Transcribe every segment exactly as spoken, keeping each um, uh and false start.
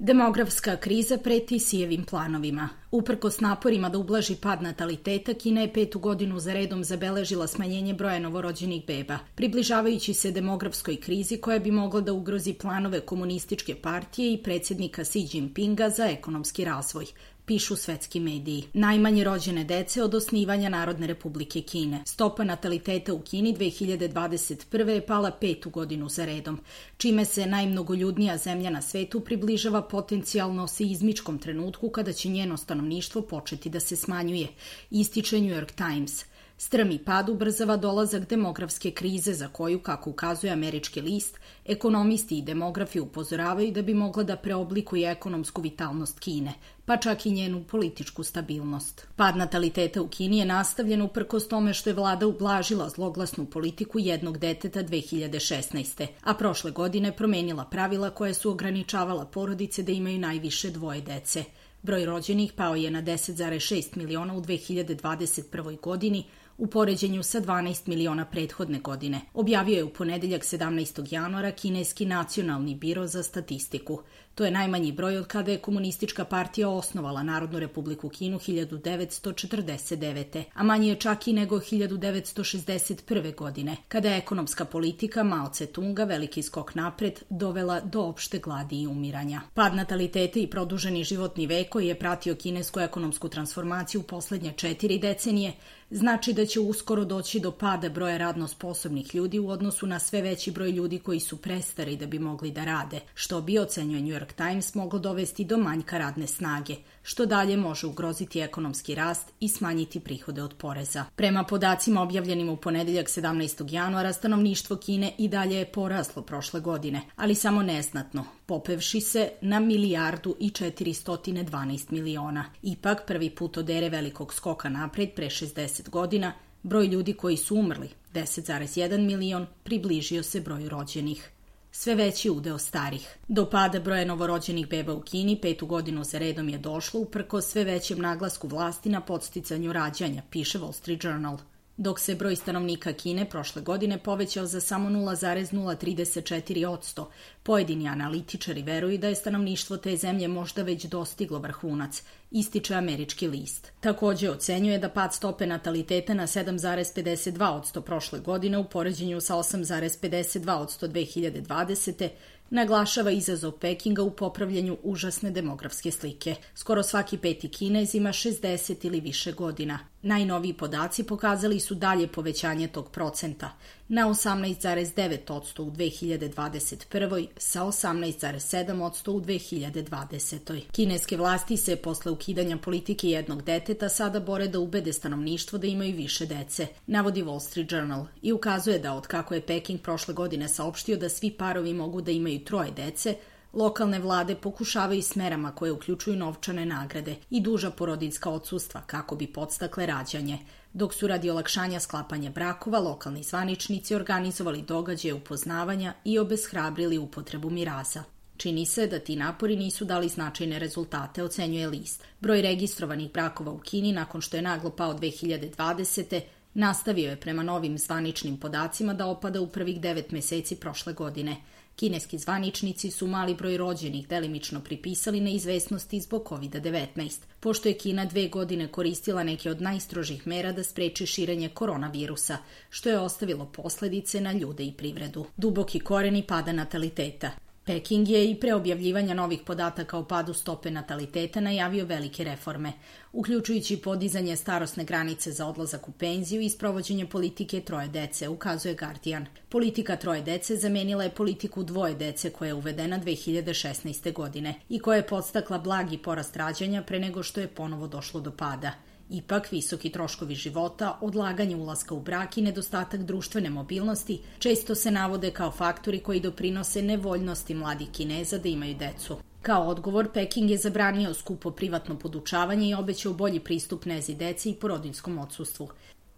Demografska kriza preti Sijevim planovima. Uprkos naporima da ublaži pad nataliteta, Kina je petu godinu za redom zabeležila smanjenje broja novorođenih beba, približavajući se demografskoj krizi koja bi mogla da ugrozi planove komunističke partije i predsjednika Xi Jinpinga za ekonomski razvoj, pišu svetski mediji. Najmanje rođene dece od osnivanja Narodne republike Kine. Stopa nataliteta u Kini dve hiljade dvadeset prve. je pala petu godinu za redom, čime se najmnogoljudnija zemlja na svetu približava potencijalno seizmičkom trenutku kada će njeno stanovništvo početi da se smanjuje, ističe New York Times. Strmi pad ubrzava dolazak demografske krize za koju, kako ukazuje američki list, ekonomisti i demografi upozoravaju da bi mogla da preoblikuje ekonomsku vitalnost Kine, pa čak i njenu političku stabilnost. Pad nataliteta u Kini je nastavljen uprkos tome što je vlada ublažila zloglasnu politiku jednog deteta dve hiljade šesnaeste. a prošle godine promenila pravila koja su ograničavala porodice da imaju najviše dvoje dece. Broj rođenih pao je na deset zarez šest miliona u dve hiljade dvadeset prvoj. godini, u poređenju sa dvanaest miliona prethodne godine, objavio je u ponedeljak sedamnaestog januara kineski nacionalni biro za statistiku. To je najmanji broj od kada je komunistička partija osnovala Narodnu republiku Kinu hiljadu devetsto četrdeset devete. a manji je čak i nego hiljadu devetsto šezdeset prve. godine, kada je ekonomska politika Mao Tse-tunga veliki skok napred dovela do opšte gladi i umiranja. Pad nataliteta i produženi životni vek koji je pratio kinesku ekonomsku transformaciju u poslednje četiri decenije znači da će uskoro doći do pada broja radno sposobnih ljudi u odnosu na sve veći broj ljudi koji su prestari da bi mogli da rade, što bi, ocenjuje New York Times, moglo dovesti do manjka radne snage, što dalje može ugroziti ekonomski rast i smanjiti prihode od poreza. Prema podacima objavljenim u ponedeljak sedamnaestog januara, stanovništvo Kine i dalje je poraslo prošle godine, ali samo neznatno, popevši se na milijardu i četiristo dvanaest miliona. Ipak, prvi put od ere velikog skoka napred pre šezdeset godina, broj ljudi koji su umrli, deset zarez jedan milion, približio se broju rođenih. Sve veći udeo starih. Do pada broja novorođenih beba u Kini petu godinu za redom je došlo uprkos sve većem naglasku vlasti na podsticanju rađanja, piše Wall Street Journal. Dok se broj stanovnika Kine prošle godine povećao za samo nula zarez nula trideset četiri posto, pojedini analitičari veruju da je stanovništvo te zemlje možda već dostiglo vrhunac, ističe američki list. Takođe ocenjuje da pad stope nataliteta na sedam zarez pedeset dva posto prošle godine u poređenju sa osam zarez pedeset dva posto dve hiljade dvadesete. naglašava izazov Pekinga u popravljanju užasne demografske slike. Skoro svaki peti Kinez ima šezdeset ili više godina. Najnoviji podaci pokazali su dalje povećanje tog procenta na osamnaest zarez devet posto u dve hiljade dvadeset prvoj. sa osamnaest zarez sedam posto u dve hiljade dvadesetoj. Kineske vlasti se posle ukidanja politike jednog deteta sada bore da ubede stanovništvo da imaju više dece, navodi Wall Street Journal, i ukazuje da od kako je Peking prošle godine saopštio da svi parovi mogu da imaju troje dece, lokalne vlade pokušavaju s merama koje uključuju novčane nagrade i duža porodiljska odsustva kako bi podstakle rađanje, dok su radi olakšanja sklapanja brakova lokalni zvaničnici organizovali događaje upoznavanja i obeshrabrili upotrebu miraza. Čini se da ti napori nisu dali značajne rezultate, ocenjuje list. Broj registrovanih brakova u Kini nakon što je naglo pao dve hiljade dvadesete. nastavio je prema novim zvaničnim podacima da opada u prvih devet meseci prošle godine. Kineski zvaničnici su mali broj rođenih delimično pripisali neizvesnosti zbog kovid devetnaest, pošto je Kina dve godine koristila neke od najstrožih mera da spreči širenje koronavirusa, što je ostavilo posledice na ljude i privredu. Duboki koreni pada nataliteta. Peking je i pre objavljivanja novih podataka o padu stope nataliteta najavio velike reforme, uključujući podizanje starosne granice za odlazak u penziju i sprovođenje politike troje dece, ukazuje Guardian. Politika troje dece zamenila je politiku dvoje dece koja je uvedena dve hiljade šesnaeste. godine i koja je podstakla blagi porast rađanja pre nego što je ponovo došlo do pada. Ipak, visoki troškovi života, odlaganje ulaska u brak i nedostatak društvene mobilnosti često se navode kao faktori koji doprinose nevoljnosti mladih Kineza da imaju decu. Kao odgovor, Peking je zabranio skupo privatno podučavanje i obećao bolji pristup nezi deci i porodiljskom odsustvu.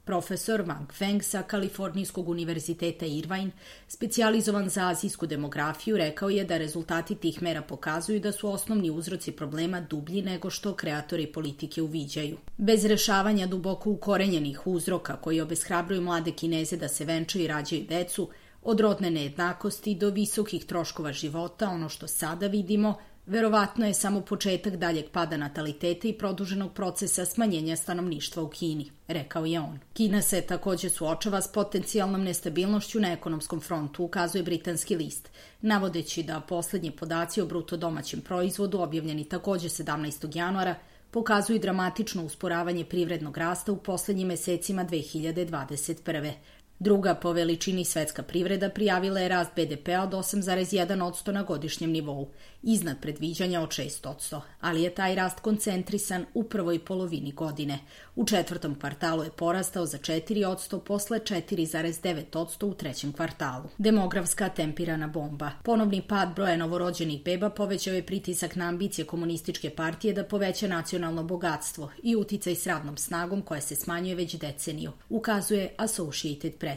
Profesor Wang Feng sa Kalifornijskog univerziteta Irvine, specijalizovan za azijsku demografiju, rekao je da rezultati tih mera pokazuju da su osnovni uzroci problema dublji nego što kreatori politike uviđaju. Bez rešavanja duboko ukorenjenih uzroka koji obeshrabruju mlade Kineze da se venčaju i rađaju decu, od rodne nejednakosti do visokih troškova života, ono što sada vidimo, verovatno je samo početak daljeg pada nataliteta i produženog procesa smanjenja stanovništva u Kini, rekao je on. Kina se takođe suočava s potencijalnom nestabilnošću na ekonomskom frontu, ukazuje britanski list, navodeći da poslednji podaci o bruto domaćem proizvodu, objavljeni takođe sedamnaestog januara, pokazuju dramatično usporavanje privrednog rasta u poslednjim mesecima dve hiljade dvadeset prve. Druga po veličini svetska privreda prijavila je rast be de pea od osam zarez jedan posto na godišnjem nivou, iznad predviđanja od šest posto, ali je taj rast koncentrisan u prvoj polovini godine. U četvrtom kvartalu je porastao za četiri posto posle četiri zarez devet posto u trećem kvartalu. Demografska tempirana bomba. Ponovni pad broja novorođenih beba povećao je pritisak na ambicije komunističke partije da poveća nacionalno bogatstvo i uticaj s radnom snagom koja se smanjuje već deceniju, ukazuje Associated Press.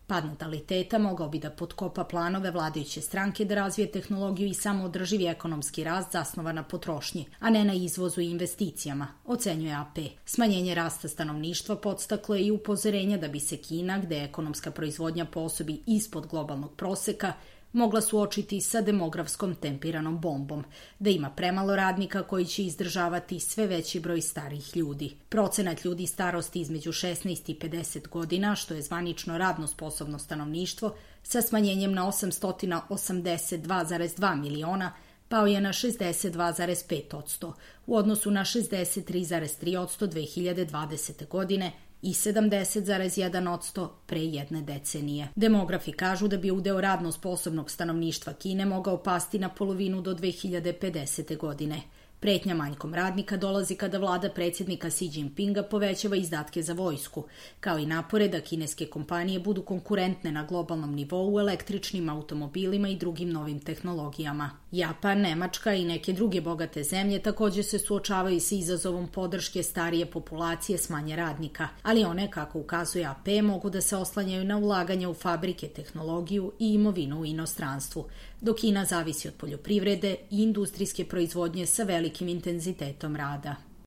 Pad nataliteta mogao bi da potkopa planove vladajuće stranke da razvije tehnologiju i samoodrživi ekonomski rast zasnovan na potrošnji, a ne na izvozu i investicijama, ocenjuje A P. Smanjenje rasta stanovništva podstaklo je i upozorenja da bi se Kina, gde je ekonomska proizvodnja po osobi ispod globalnog proseka, mogla suočiti sa demografskom tempiranom bombom, da ima premalo radnika koji će izdržavati sve veći broj starijih ljudi. Procenat ljudi starosti između šesnaest i pedeset godina, što je zvanično radno sposobno stanovništvo, sa smanjenjem na osamsto osamdeset dva zarez dva miliona, pao je na šezdeset dva zarez pet posto u odnosu na šezdeset tri zarez tri posto dve hiljade dvadesete. godine i sedamdeset zarez jedan posto pre jedne decenije. Demografi kažu da bi udeo radno sposobnog stanovništva Kine mogao pasti na polovinu do dve hiljade pedesete. godine. Pretnja manjkom radnika dolazi kada vlada predsjednika Xi Jinpinga povećava izdatke za vojsku, kao i napore da kineske kompanije budu konkurentne na globalnom nivou u električnim automobilima i drugim novim tehnologijama. Japan, Nemačka i neke druge bogate zemlje takođe se suočavaju sa izazovom podrške starije populacije s manje radnika, ali one, kako ukazuje A P, mogu da se oslanjaju na ulaganje u fabrike, tehnologiju i imovinu u inostranstvu, dok Kina zavisi od poljoprivrede i industrijske proizvodnje sa velikim intenzitetom rada.